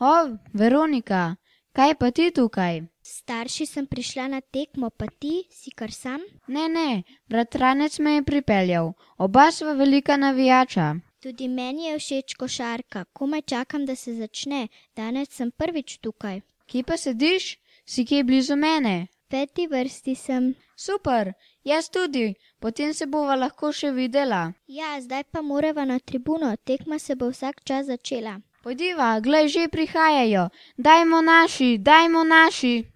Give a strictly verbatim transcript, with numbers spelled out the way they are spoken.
O, Veronika, kaj pa ti tukaj? Starši sem prišla na tekmo, pa ti si kar sam? Ne, ne, bratranec me je pripeljal. Oba sva velika navijača. Tudi meni je všeč košarka, komaj čakam, da se začne. Danes sem prvič tukaj. Kje pa sediš? Si kje blizu mene? V peti vrsti sem. Super, jaz tudi, potem se bova lahko še videla. Ja, zdaj pa morava na tribuno, tekma se bo vsak čas začela. Pojdiva, glej, že prihajajo. Dajmo naši, dajmo naši.